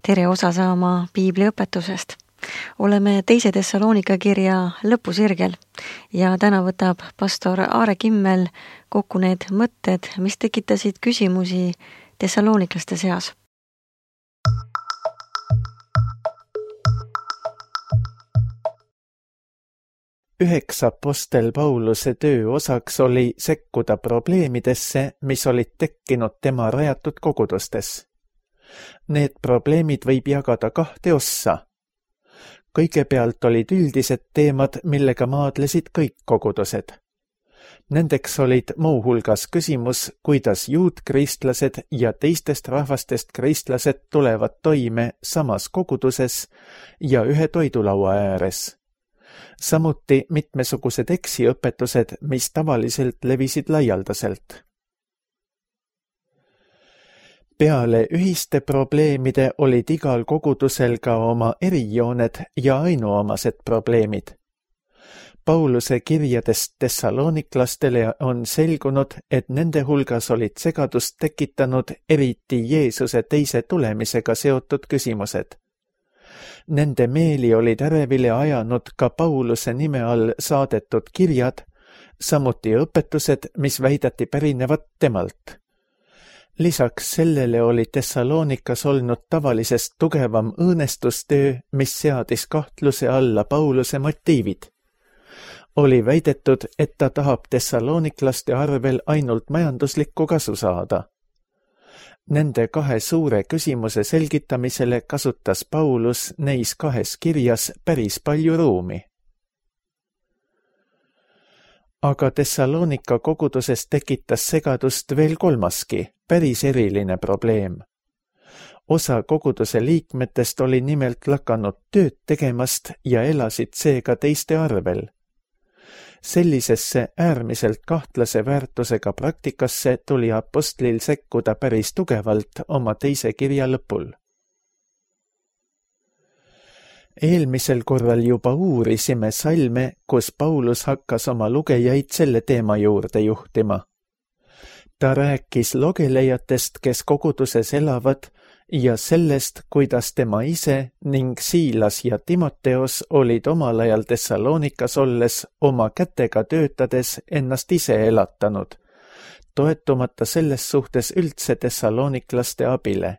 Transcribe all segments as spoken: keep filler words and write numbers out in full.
tere osa saama piibliõpetusest. Oleme teise Thessalonika kirja lõpusirgel ja täna võtab pastor Aare Kimmel kokku need mõtted, mis tekitasid küsimusi thessaloniklaste seas. Üheks apostel Pauluse töö osaks oli sekkuda probleemidesse, mis olid tekkinud tema rajatud kogudustes. Need probleemid võib jagada kahte ossa. Kõigepealt olid üldised teemad, millega maadlesid kõik kogudused. Nendeks olid muuhulgas küsimus, kuidas juutkristlased ja teistest rahvastest kristlased tulevad toime samas koguduses ja ühe toidulaua ääres. Samuti mitmesugused eksiõpetused, mis tavaliselt levisid laialdaselt. Peale ühiste probleemide olid igal kogudusel ka oma erijooned ja ainuomased probleemid. Pauluse kirjadest thessaloniklastele on selgunud, et nende hulgas olid segadust tekitanud eriti Jeesuse teise tulemisega seotud küsimused. Nende meeli olid ärevile ajanud ka Pauluse nime all saadetud kirjad, samuti õpetused, mis väidati pärinevat temalt. Lisaks sellele oli Thessalonikas olnud tavalisest tugevam õõnestustöö, mis seadis kahtluse alla Pauluse motiivid. Oli väidetud, et ta tahab thessaloniklaste arvel ainult majanduslikku kasu saada. Nende kahe suure küsimuse selgitamisele kasutas Paulus neis kahes kirjas päris palju ruumi. Aga Thessalonika koguduses tekitas segadust veel kolmaski, päris eriline probleem. Osa koguduse liikmetest oli nimelt lakanud tööd tegemast ja elasid seega teiste arvel. Sellisesse äärmiselt kahtlase väärtusega praktikasse tuli apostlil sekkuda päris tugevalt oma teise kirja lõpul. Eelmisel korral juba uurisime salme, kus Paulus hakkas oma lugejaid selle teema juurde juhtima. Ta rääkis logelejatest, kes koguduses elavad, ja sellest, kuidas tema ise ning Siilas ja Timoteos olid omal ajal Thessalonikas olles oma kätega töötades ennast ise elatanud, toetumata selles suhtes üldse thessaloniklaste abile.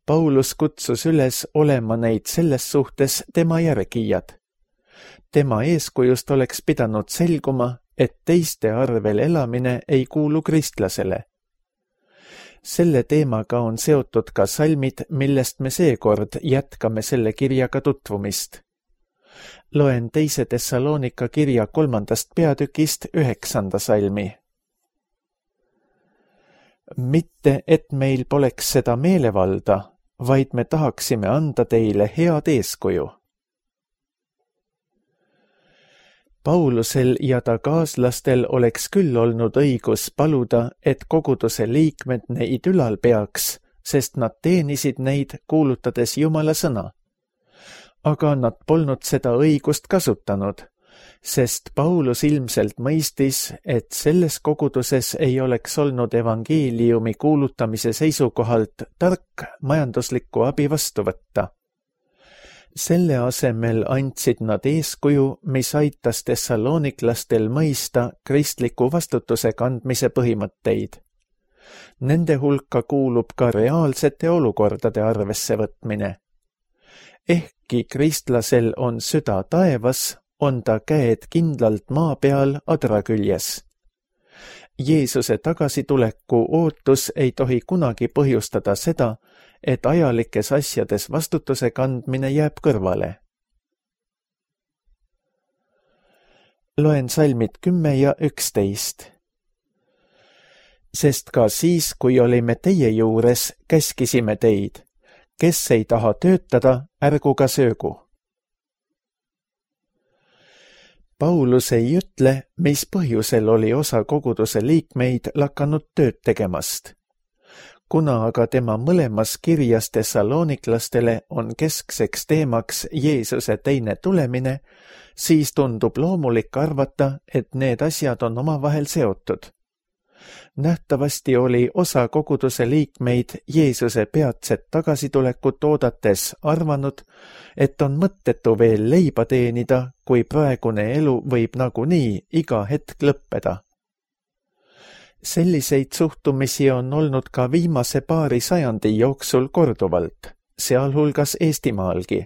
Paulus kutsus üles olema neid selles suhtes tema järgijad. Tema eeskujust oleks pidanud selguma, et teiste arvel elamine ei kuulu kristlasele. Selle teemaga on seotud ka salmid, millest me seekord jätkame selle kirjaga tutvumist. Loen teise Thessalonika kirja kolmandast peatükist üheksanda salmi. Mitte, et meil poleks seda meelevalda, vaid me tahaksime anda teile head eeskuju. Paulusel ja ta kaaslastel oleks küll olnud õigus paluda, et koguduse liikmed neid ülal peaks, sest nad teenisid neid, kuulutades Jumala sõna. Aga nad polnud seda õigust kasutanud, sest Paulus ilmselt mõistis, et selles koguduses ei oleks olnud evangeeliumi kuulutamise seisukohalt tark majanduslikku abi vastu võtta. Selle asemel andsid nad eeskuju, mis aitas thessaloniklastel mõista kristliku vastutuse kandmise põhimõtteid. Nende hulka kuulub ka reaalsete olukordade arvesse võtmine. Ehkki kristlasel on süda taevas, on ta käed kindlalt maa peal adra küljes. Jeesuse tagasituleku ootus ei tohi kunagi põhjustada seda, et ajalikes asjades vastutuse kandmine jääb kõrvale. Loen salmid kümme ja üksteist. Sest ka siis, kui olime teie juures, käskisime teid, kes ei taha töötada, ärgu ka söögu. Paulus ei ütle, mis põhjusel oli osa koguduse liikmeid lakanud tööd tegemast. Kuna aga tema mõlemas kirjas thessaloniklastele on keskseks teemaks Jeesuse teine tulemine, siis tundub loomulik arvata, et need asjad on omavahel seotud. Nähtavasti oli osa koguduse liikmeid Jeesuse peatset tagasitulekut oodates arvanud, et on mõttetu veel leiba teenida, kui praegune elu võib nagunii iga hetk lõppeda. Selliseid suhtumisi on olnud ka viimase paari sajandi jooksul korduvalt, sealhulgas Eestimaalgi.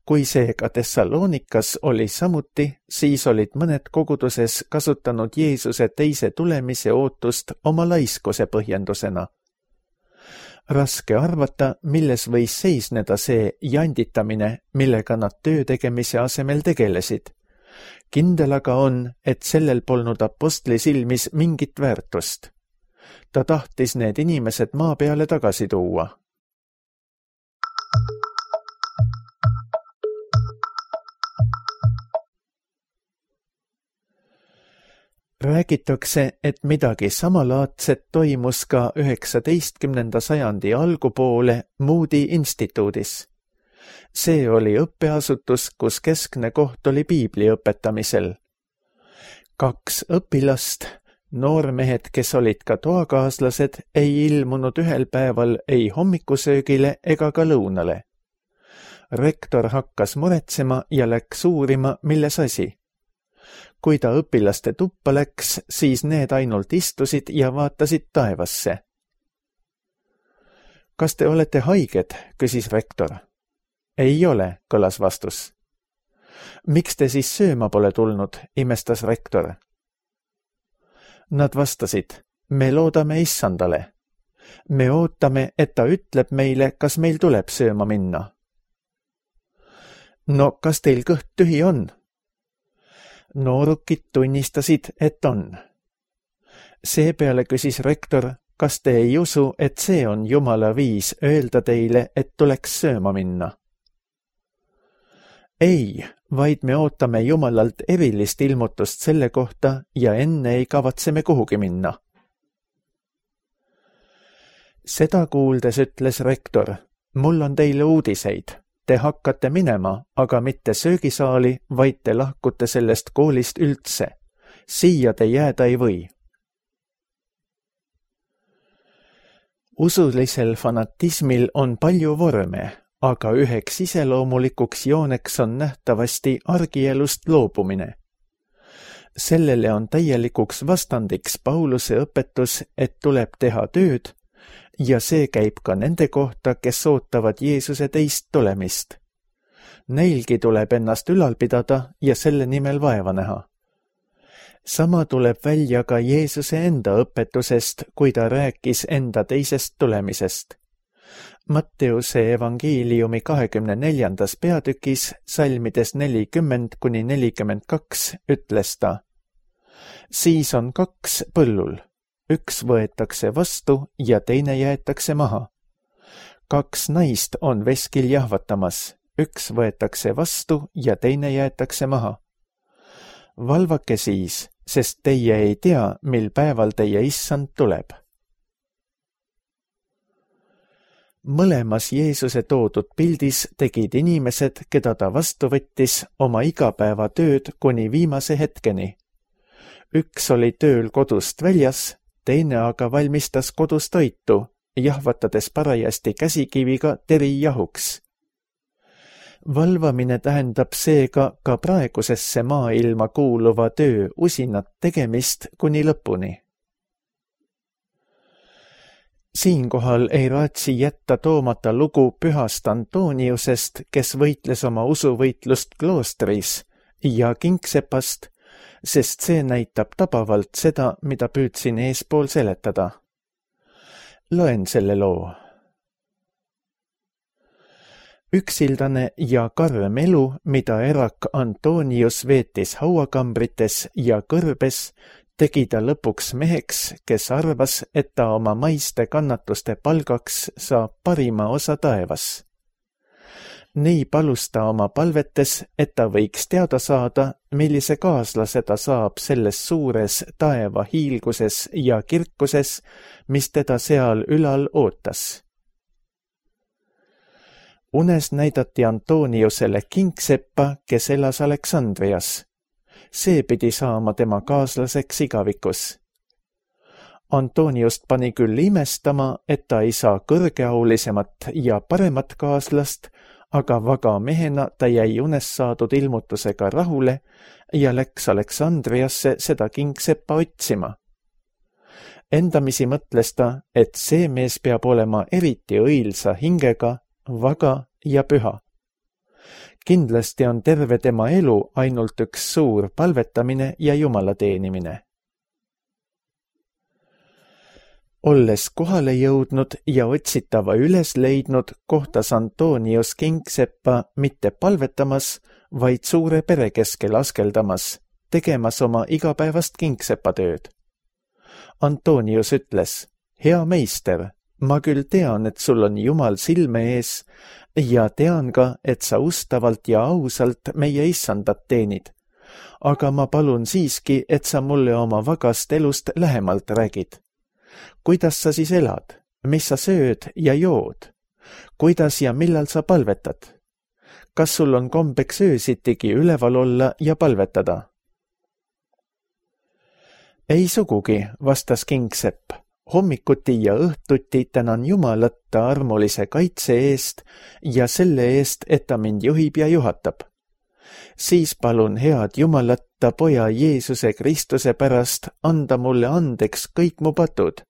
Kui seega Thessalonikas oli samuti, siis olid mõned koguduses kasutanud Jeesuse teise tulemise ootust oma laiskuse põhjendusena. Raske arvata, milles võis seisneda see janditamine, millega nad töö tegemise asemel tegelesid. Kindel aga on, et sellel polnud apostli silmis mingit väärtust. Ta tahtis need inimesed maa peale tagasi tuua. Räägitakse, et midagi samalaadset toimus ka üheksateistkümnenda sajandi algupoole Moody instituudis. See oli õppeasutus, kus keskne koht oli piibli õpetamisel. Kaks õpilast, noormehed, kes olid ka toakaaslased, ei ilmunud ühel päeval ei hommikusöögile ega ka lõunale. Rektor hakkas muretsema ja läks uurima, milles asi. Kui ta õpilaste tuppa läks, siis need ainult istusid ja vaatasid taevasse. Kas te olete haiged, küsis rektor. Ei ole, kõlas vastus. Miks te siis sööma pole tulnud, imestas rektor. Nad vastasid, me loodame issandale. Me ootame, et ta ütleb meile, kas meil tuleb sööma minna. No kas teil kõht tühi on? Noorukid tunnistasid, et on. Seepeale küsis rektor, kas te ei usu, et see on Jumala viis öelda teile, et tuleks sööma minna? Ei, vaid me ootame Jumalalt erilist ilmutust selle kohta ja enne ei kavatseme kuhugi minna. Seda kuuldes ütles rektor, mul on teile uudiseid. Te hakkate minema, aga mitte söögisaali, vaid te lahkute sellest koolist üldse. Siia te jääda ei või. Usulisel fanatismil on palju vorme, aga üheks iseloomulikuks jooneks on nähtavasti argielust loobumine. Sellele on täielikuks vastandiks Pauluse õpetus, et tuleb teha tööd, ja see käib ka nende kohta, kes ootavad Jeesuse teist tulemist. Neilgi tuleb ennast ülal pidada ja selle nimel vaeva näha. Sama tuleb välja ka Jeesuse enda õpetusest, kui ta rääkis enda teisest tulemisest. Matteuse evangeeliumi kahekümne neljandas peatükis, salmides nelikümmend kuni nelikümmend kaks, ütles ta. Siis on kaks põllul. Üks võetakse vastu ja teine jäetakse maha. Kaks naist on veskil jahvatamas. Üks võetakse vastu ja teine jäetakse maha. Valvake siis, sest teie ei tea, mil päeval teie issand tuleb. Mõlemas Jeesuse toodud pildis tegid inimesed, keda ta vastu võttis, oma igapäevatööd kuni viimase hetkeni. Üks oli tööl kodust väljas, teine aga valmistas kodus toitu, jahvatades parajasti käsikiviga teri jahuks. Valvamine tähendab seega ka praegusesse maailma kuuluva töö usinat tegemist kuni lõpuni. Siinkohal ei raatsi jätta toomata lugu pühast Antoniusest, kes võitles oma usuvõitlust kloostris, ja kingsepast, sest see näitab tabavalt seda, mida püüdsin eespool seletada. Loen selle loo. Üksildane ja karm elu, mida erak Antonius veetis hauakambrites ja kõrbes, tegi ta lõpuks meheks, kes arvas, et ta oma maiste kannatuste palgaks saab parima osa taevas. Nii palus ta oma palvetes, et ta võiks teada saada, millise kaaslase ta saab selles suures taeva hiilguses ja kirkuses, mis teda seal ülal ootas. Unes näidati Antoniusele kingseppa, kes elas Aleksandrias. See pidi saama tema kaaslaseks igavikus. Antoniust pani küll imestama, et ta ei saa kõrgeaulisemat ja paremat kaaslast, aga vaga mehena ta jäi unes saadud ilmutusega rahule ja läks Aleksandriasse seda kingseppa otsima. Endamisi mõtles ta, et see mees peab olema eriti õilsa hingega, vaga ja püha. Kindlasti on terve tema elu ainult üks suur palvetamine ja Jumala teenimine. Olles kohale jõudnud ja otsitava üles leidnud, kohtas Antonius kingseppa mitte palvetamas, vaid suure pere keskel askeldamas, tegemas oma igapäevast kingsepatööd. Antonius ütles, hea meister, ma küll tean, et sul on Jumal silme ees ja tean ka, et sa ustavalt ja ausalt meie issandat teenid. Aga ma palun siiski, et sa mulle oma vagast elust lähemalt räägid. Kuidas sa siis elad? Mis sa sööd ja jood? Kuidas ja millal sa palvetad? Kas sul on kombeks öösitigi üleval olla ja palvetada? Ei sugugi, vastas kingsepp. Hommikuti ja õhtuti tänan Jumalat ta armulise kaitse eest ja selle eest, et ta mind juhib ja juhatab. Siis palun head Jumalat ta poja Jeesuse Kristuse pärast anda mulle andeks kõik mu patud.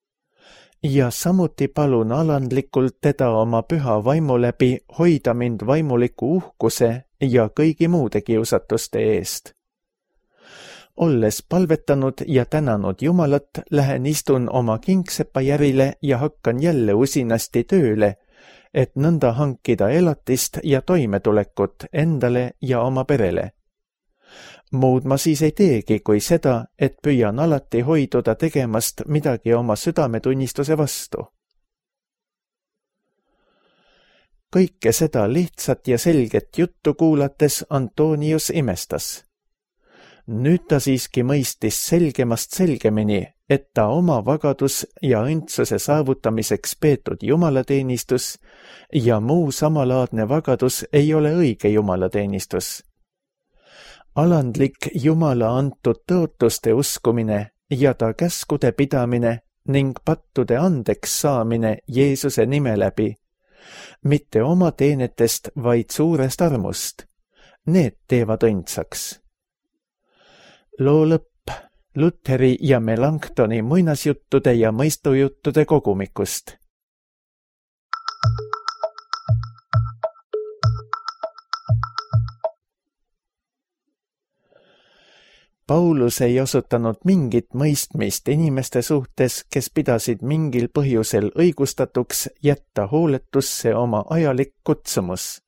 Ja samuti palun alandlikult teda oma püha vaimu läbi hoida mind vaimuliku uhkuse ja kõigi muude kiusatuste eest. Olles palvetanud ja tänanud Jumalat, lähen istun oma kingsepa järile ja hakkan jälle usinasti tööle, et nõnda hankida elatist ja toimetulekut endale ja oma perele. Muud ma siis ei teegi kui seda, et püüan alati hoiduda tegemast midagi oma südametunnistuse vastu. Kõike seda lihtsat ja selget juttu kuulates Antonius imestas. Nüüd ta siiski mõistis selgemast selgemini, et ta oma vagadus ja õndsuse saavutamiseks peetud jumalateenistus ja muu samalaadne vagadus ei ole õige jumalateenistus. Alandlik Jumala antud tõotuste uskumine ja ta käskude pidamine ning pattude andeks saamine Jeesuse nime läbi, mitte oma teenetest, vaid suurest armust. Need teevad õndsaks. Loo lõpp Lutheri ja Melanchtoni muinasjuttude ja mõistujuttude kogumikust. Paulus ei osutanud mingit mõistmist inimeste suhtes, kes pidasid mingil põhjusel õigustatuks jätta hooletusse oma ajalik kutsumus.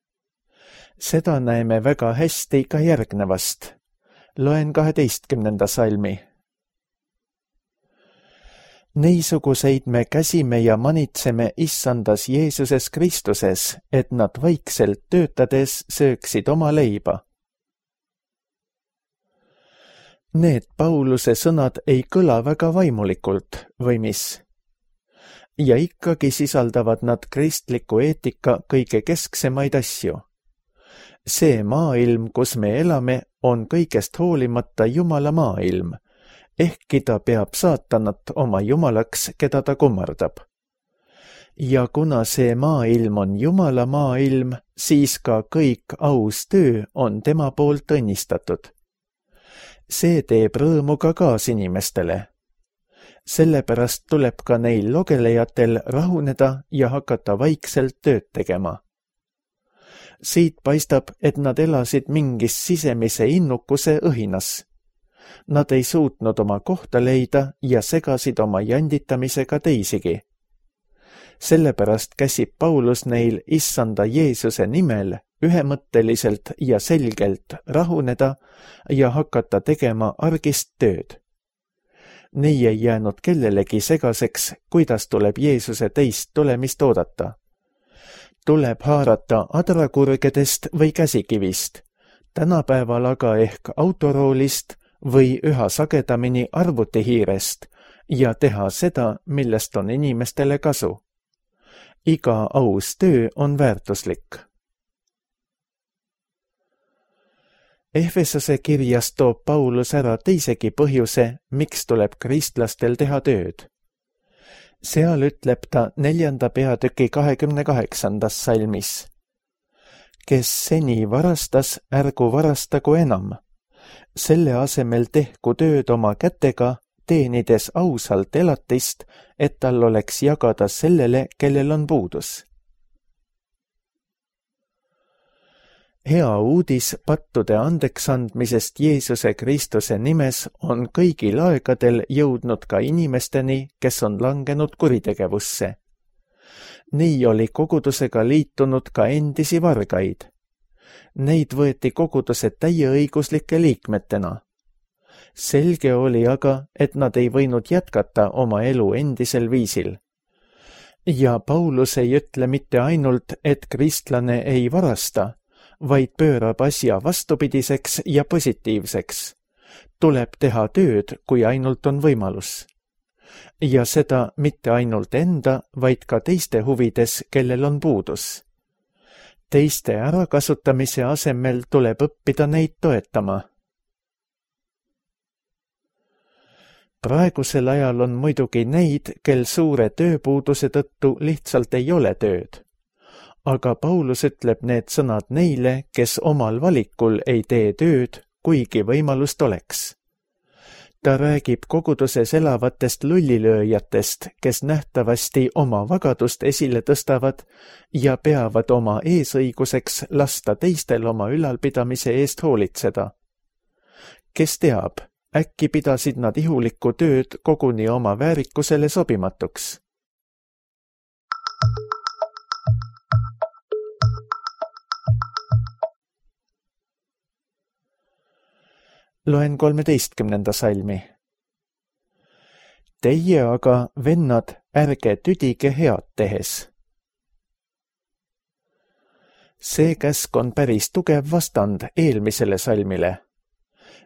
Seda näeme väga hästi ka järgnevast. Loen kaheteistkümnenda salmi. Neisuguseid me käsime ja manitseme issandas Jeesuses Kristuses, et nad vaikselt töötades sööksid oma leiba. Need Pauluse sõnad ei kõla väga vaimulikult, või mis? Ja ikkagi sisaldavad nad kristliku eetika kõige kesksemaid asju. See maailm, kus me elame, on kõigest hoolimata Jumala maailm, ehkki ta peab saatanat oma jumalaks, keda ta kummardab. Ja kuna see maailm on Jumala maailm, siis ka kõik aus töö on tema poolt õnnistatud. See teeb rõõmu ka kaasinimestele. Sellepärast tuleb ka neil logelejatel rahuneda ja hakata vaikselt tööd tegema. Siit paistab, et nad elasid mingis sisemise innukuse õhinas. Nad ei suutnud oma kohta leida ja segasid oma janditamisega teisigi. Sellepärast käsib Paulus neil issanda Jeesuse nimel ühemõtteliselt ja selgelt rahuneda ja hakata tegema argist tööd. Nii ei jäänud kellelegi segaseks, kuidas tuleb Jeesuse teist tulemist oodata. Tuleb haarata adrakurgedest või käsikivist, tänapäeval aga ehk autoroolist või üha sagedamini arvutihiirest ja teha seda, millest on inimestele kasu. Iga aus töö on väärtuslik. Efesose kirjas toob Paulus ära teisegi põhjuse, miks tuleb kristlastel teha tööd. seal ütleb ta neljanda peatüki kahekümne kaheksandas salmis. Kes seni varastas, ärgu varastagu enam. Selle asemel tehku tööd oma kätega, teenides ausalt elatist, et tal oleks jagada sellele, kellel on puudus. Hea uudis pattude andeksandmisest Jeesuse Kristuse nimes on kõigil aegadel jõudnud ka inimesteni, kes on langenud kuritegevusse. Nii oli kogudusega liitunud ka endisi vargaid. Neid võeti koguduse täieõiguslike liikmetena. Selge oli aga, et nad ei võinud jätkata oma elu endisel viisil. Ja Paulus ei ütle mitte ainult, et kristlane ei varasta, vaid pöörab asja vastupidiseks ja positiivseks. Tuleb teha tööd, kui ainult on võimalus. Ja seda mitte ainult enda, vaid ka teiste huvides, kellel on puudus. Teiste ärakasutamise asemel tuleb õppida neid toetama. Praegusel ajal on muidugi neid, kel suure tööpuuduse tõttu lihtsalt ei ole tööd. Aga Paulus ütleb need sõnad neile, kes omal valikul ei tee tööd, kuigi võimalust oleks. Ta räägib koguduses elavatest lullilööjatest, kes nähtavasti oma vagadust esile tõstavad ja peavad oma eesõiguseks lasta teistel oma ülalpidamise eest hoolitseda. Kes teab, äkki pidasid nad ihulikku tööd koguni oma väärikusele sobimatuks. Loen kolmeteistkümnenda salmi. Teie aga, vennad, ärge tüdige head tehes. See käsk on päris tugev vastand eelmisele salmile.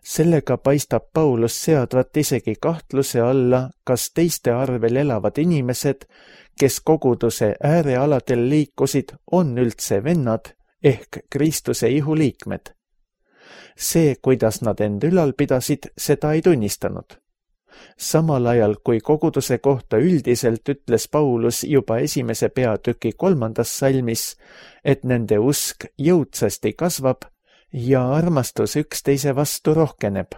Sellega paistab Paulus seadvat isegi kahtluse alla, kas teiste arvel elavad inimesed, kes koguduse äärealadel liikusid, on üldse vennad ehk Kristuse ihuliikmed. See, kuidas nad end ülal pidasid, seda ei tunnistanud. Samal ajal, kui koguduse kohta üldiselt ütles Paulus juba esimese peatüki kolmandas salmis, et nende usk jõudsasti kasvab ja armastus üksteise vastu rohkeneb.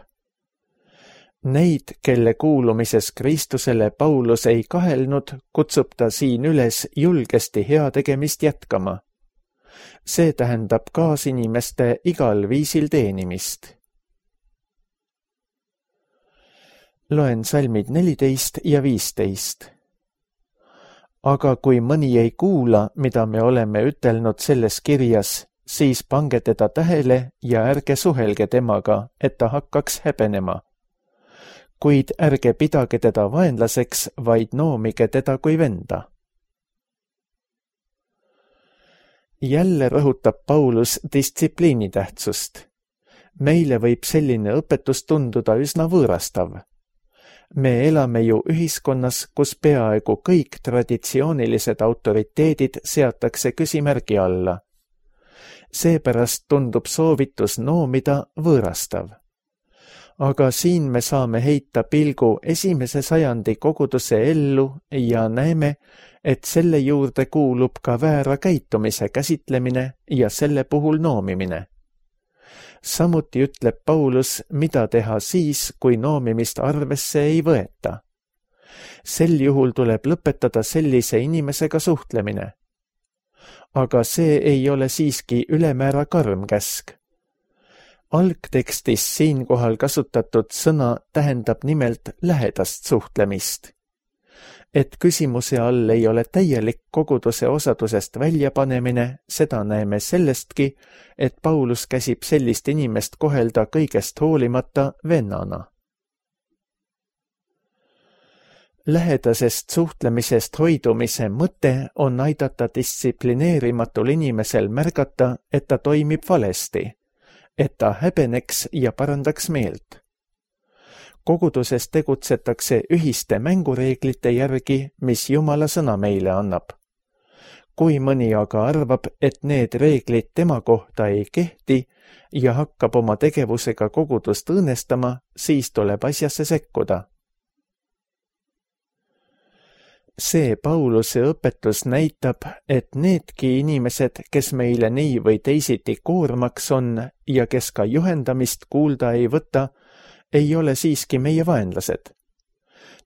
Neid, kelle kuulumises Kristusele Paulus ei kahelnud, kutsub ta siin üles julgesti heategemist jätkama. See tähendab kaasinimeste igal viisil teenimist. Loen salmid neliteist ja viisteist. Aga kui mõni ei kuula, mida me oleme ütelnud selles kirjas, siis pange teda tähele ja ärge suhelge temaga, et ta hakkaks häbenema. Kuid ärge pidage teda vaenlaseks, vaid noomige teda kui venda. Jälle rõhutab Paulus distsipliini tähtsust. Meile võib selline õpetus tunduda üsna võõrastav. Me elame ju ühiskonnas, kus peaaegu kõik traditsioonilised autoriteedid seatakse küsimärgi alla. Seepärast tundub soovitus noomida võõrastav. Aga siin me saame heita pilgu esimese sajandi koguduse ellu ja näeme, et selle juurde kuulub ka väära käitumise käsitlemine ja selle puhul noomimine. Samuti ütleb Paulus, mida teha siis, kui noomimist arvesse ei võeta. Sel juhul tuleb lõpetada sellise inimesega suhtlemine. Aga see ei ole siiski ülemäära karm käsk. Algtekstis siinkohal kasutatud sõna tähendab nimelt lähedast suhtlemist. Et küsimuse all ei ole täielik koguduse osadusest väljapanemine, seda näeme sellestki, et Paulus käsib sellist inimest kohelda kõigest hoolimata vennana. Lähedasest suhtlemisest hoidumise mõte on aidata distsiplineerimatul inimesel märgata, et ta toimib valesti, et ta häbeneks ja parandaks meelt. Koguduses tegutsetakse ühiste mängureeglite järgi, mis Jumala sõna meile annab. Kui mõni aga arvab, et need reeglid tema kohta ei kehti ja hakkab oma tegevusega kogudust õõnestama, siis tuleb asjasse sekkuda. See Pauluse õpetus näitab, et needki inimesed, kes meile nii või teisiti koormaks on ja kes ka juhendamist kuulda ei võta, ei ole siiski meie vaenlased.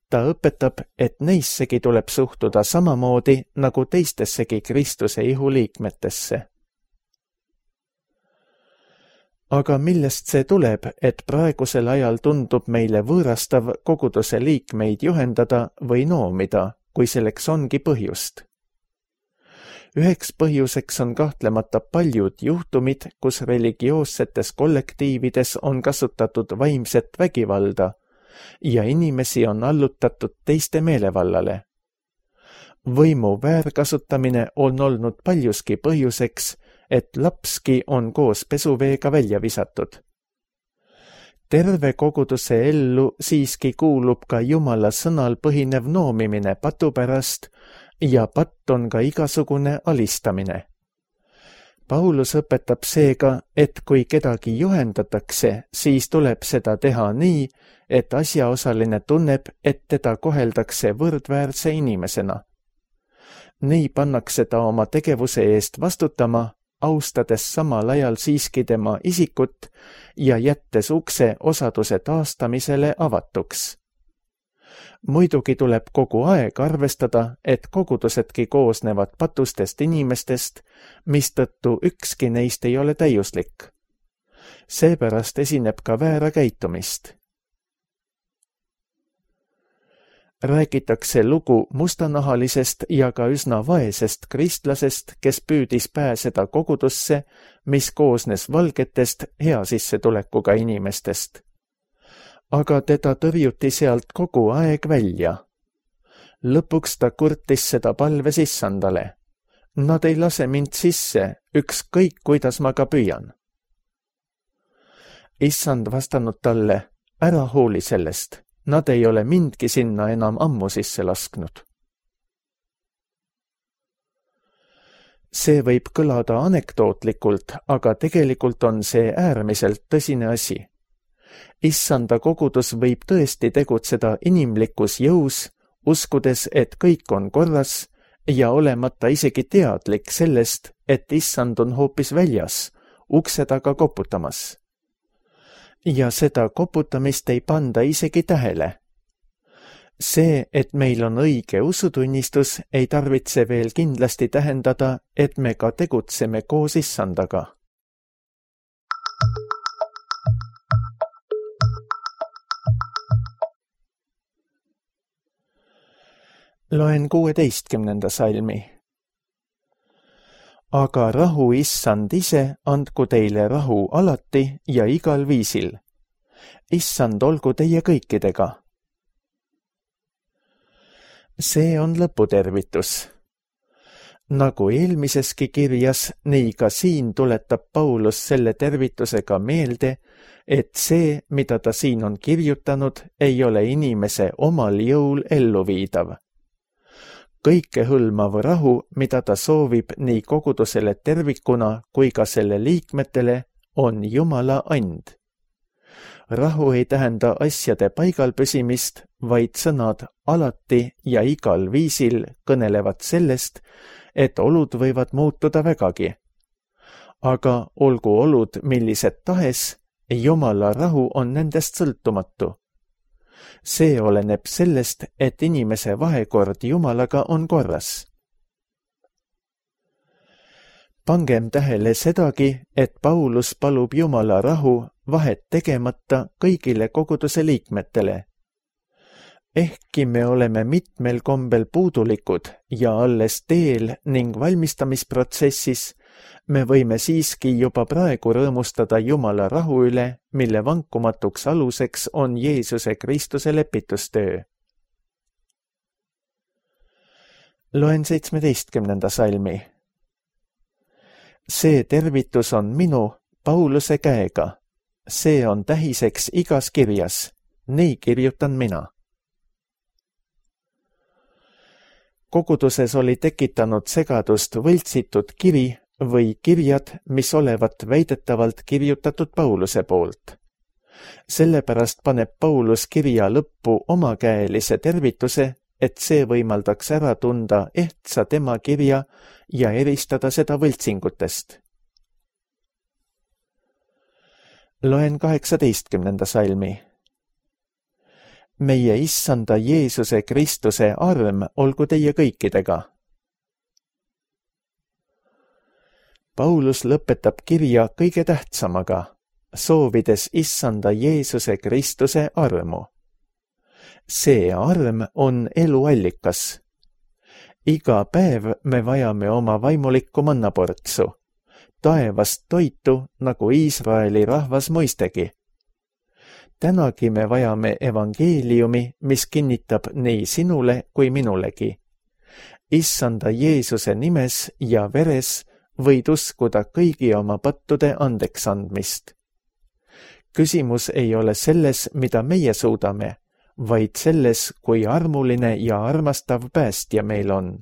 Ta õpetab, et neissegi tuleb suhtuda samamoodi nagu teistessegi Kristuse ihuliikmetesse. Aga millest see tuleb, et praegusel ajal tundub meile võõrastav koguduse liikmeid juhendada või noomida, kui selleks ongi põhjust? Üheks põhjuseks on kahtlemata paljud juhtumid, kus religioossetes kollektiivides on kasutatud vaimset vägivalda ja inimesi on allutatud teiste meelevallale. Võimu väärkasutamine on olnud paljuski põhjuseks, et lapski on koos pesuveega välja visatud. Terve koguduse ellu siiski kuulub ka Jumala sõnal põhinev noomimine patu pärast ja patt on ka igasugune alistamine. Paulus õpetab seega, et kui kedagi juhendatakse, siis tuleb seda teha nii, et asjaosaline tunneb, et teda koheldakse võrdväärse inimesena. Nii pannakse ta oma tegevuse eest vastutama, austades samal ajal siiski tema isikut ja jättes ukse osaduse taastamisele avatuks. Muidugi tuleb kogu aeg arvestada, et kogudusedki koosnevad patustest inimestest, mistõttu ükski neist ei ole täiuslik. Seepärast esineb ka väära käitumist. Räägitakse lugu mustanahalisest ja ka üsna vaesest kristlasest, kes püüdis pääseda kogudusse, mis koosnes valgetest hea sissetulekuga inimestest. Aga teda tõrjuti sealt kogu aeg välja. Lõpuks ta kurtis seda palves issandale. Nad ei lase mind sisse, ükskõik kuidas ma ka püüan. Issand vastanud talle, ära hooli sellest. Nad ei ole mindki sinna enam ammu sisse lasknud. See võib kõlada anekdootlikult, aga tegelikult on see äärmiselt tõsine asi. Issanda kogudus võib tõesti tegutseda inimlikus jõus, uskudes, et kõik on korras ja olemata isegi teadlik sellest, et issand on hoopis väljas, ukse taga koputamas. Ja seda koputamist ei panda isegi tähele. See, et meil on õige usutunnistus, ei tarvitse veel kindlasti tähendada, et me ka tegutseme koos issandaga. Loen kuueteistkümnenda salmi. Aga rahu issand ise andku teile rahu alati ja igal viisil. Issand olgu teie kõikidega. See on lõputervitus. Nagu eelmiseski kirjas, nii ka siin tuletab Paulus selle tervitusega meelde, et see, mida ta siin on kirjutanud, ei ole inimese omal jõul elluviidav. Kõikehõlmav rahu, mida ta soovib nii kogudusele tervikuna kui ka selle liikmetele, on Jumala and. Rahu ei tähenda asjade paigal püsimist, vaid sõnad alati ja igal viisil kõnelevad sellest, et olud võivad muutuda vägagi. Aga olgu olud millised tahes, Jumala rahu on nendest sõltumatu. See oleneb sellest, et inimese vahekord Jumalaga on korras. Pangem tähele sedagi, et Paulus palub Jumala rahu vahet tegemata kõigile koguduse liikmetele. Ehkki me oleme mitmel kombel puudulikud ja alles teel ning valmistamisprotsessis, me võime siiski juba praegu rõõmustada Jumala rahu üle, mille vankumatuks aluseks on Jeesuse Kristuse lepitustöö. Loen seitsmeteistkümnenda salmi. See tervitus on minu, Pauluse käega. See on tähiseks igas kirjas. Nii kirjutan mina. Koguduses oli tekitanud segadust võltsitud kiri või kirjad, mis olevat väidetavalt kirjutatud Pauluse poolt. Sellepärast paneb Paulus kirja lõppu omakäelise tervituse, et see võimaldaks ära tunda ehtsa tema kirja ja eristada seda võltsingutest. Loen kaheksateistkümnenda salmi. Meie issanda Jeesuse Kristuse arm olgu teie kõikidega. Paulus lõpetab kirja kõige tähtsamaga, soovides issanda Jeesuse Kristuse armu. See arm on eluallikas. Iga päev me vajame oma vaimulikku mannaportsu, taevast toitu, nagu Iisraeli rahvas mõistegi. Tänagi me vajame evangeeliumi, mis kinnitab nii sinule kui minulegi. Issanda Jeesuse nimes ja veres võid uskuda kõigi oma pattude andeks andmist. Küsimus ei ole selles, mida meie suudame, vaid selles, kui armuline ja armastav päästja meil on.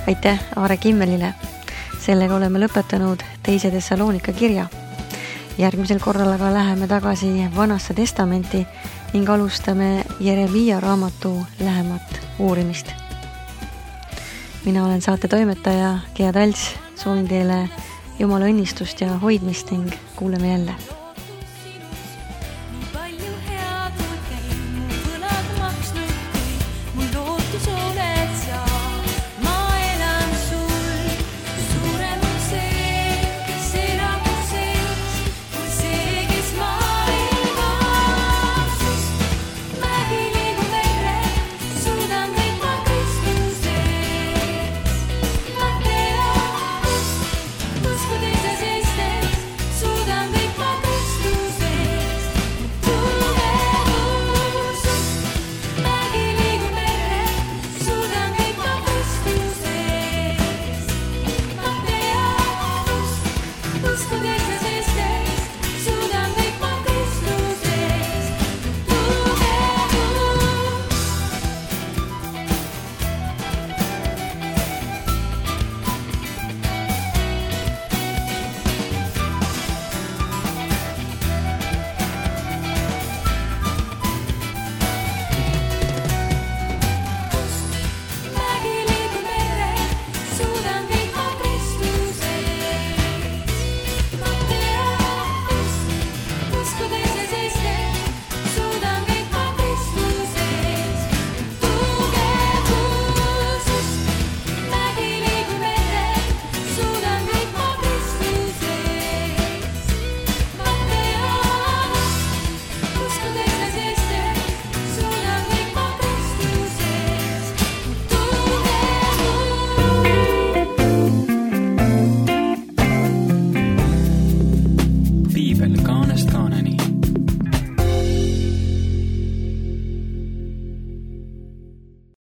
Aitäh Aare Kimmelile. Sellega oleme lõpetanud teise Thessalonika kirja. Järgmisel korral aga läheme tagasi Vanasse testamenti ning alustame Jeremiia raamatu lähemat uurimist. Mina olen saate toimetaja Gea Talts, soovin teile Jumala õnnistust ja hoidmist ning kuuleme jälle.